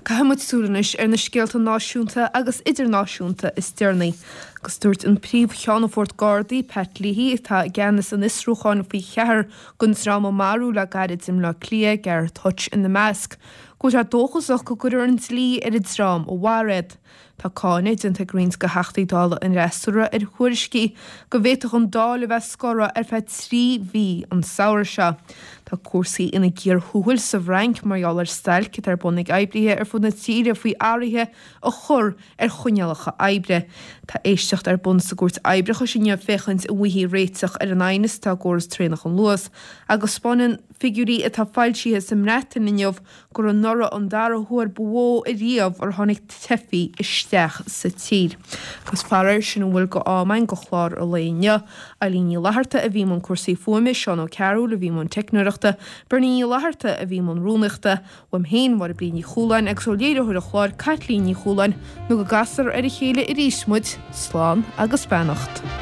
Caithfidh muid súil anois ar na scéalta náisiúnta agus idirnáisiúnta is deireanaí. Agus dúirt an Príomh-Cheannfort Gardaí, Pat Leahy, atá i gceannas an fhiosrúcháin faoi cheathrar den dream a maraíodh le gairid i mBleá Cliath, Gareth Hutch ina measc, go bhfuil sé dóchasach go gcuirfear an dlí ar an dream a mharaigh iad. Tá cáineadh déanta ag roinnt de Theachtaí Dála an fhreasúra ar thuairiscí go bhféadfadh an Dáil a bheith scortha ar feadh 3 mhí an samhradh seo. Tá cúrsaí ina gcíor thuathail sa bhFrainc mar gheall ar stailc atá ar bun ag oibrithe ar fud na tíre faoi athruithe a chur ar choinníollacha oibre. Tá éisteacht ar bun sa gCúirt Oibreachais inniu féachaint an bhfaighfí réiteach ar an aighneas atá i gcóras traenach an Luas agus 'spáineann figiúirí atá foilsithe sa mBreatain inniu gur anuraidh an dara huair ba mhó ariamh ar tháinig teifigh isteach sa tír. Agus faraor, sin a bhfuil de am againn do chlár an lae inniu. Eilín Ní Fhlatharta a bhí i mbun cúrsaí fuaime, Seán Ó Cearúil a bhí i mbun teicneoireachta, Bernie Ní Fhlatharta a bhí i mbun rúnaíochta, uaim féin, Máire Bríd Ní Chualáin agus ó léiritheoir an chláir, Caitlín Ní Chualáin, nó go gcasfar ar a chéile arís muid, slán agus beannacht.